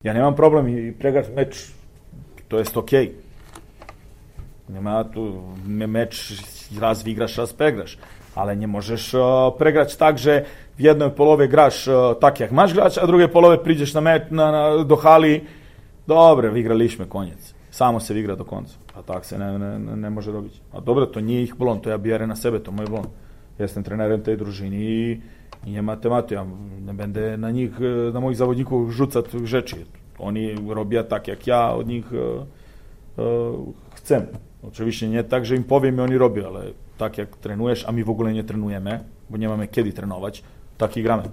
Ja nemam problem i pregrati meč, to jest okej. Nema tu meč raz vygraš, raz pregraš. Ale nie możesz pregrać tak, że w jednej połowie grasz tak, jak masz grać, a w drugiej połowie przyjdziesz do hali, dobre, wygraliśmy, koniec. Samo se igra do konca. A tak se ne može robić. A dobro, to nije ih blon, to ja bjerem na sebe, to moj blon. Jestem trenerem tej družini i nie ma tematu. Ja ne będę na mojih zawodników rzucać rzeczy. Oni robią tak, jak ja od nich chcę. Oczywiście nie tak, że im powiem i oni robią, ale tak jak trenujesz, a my w ogóle nie trenujemy, bo nie mamy kiedy trenować, tak i gramy.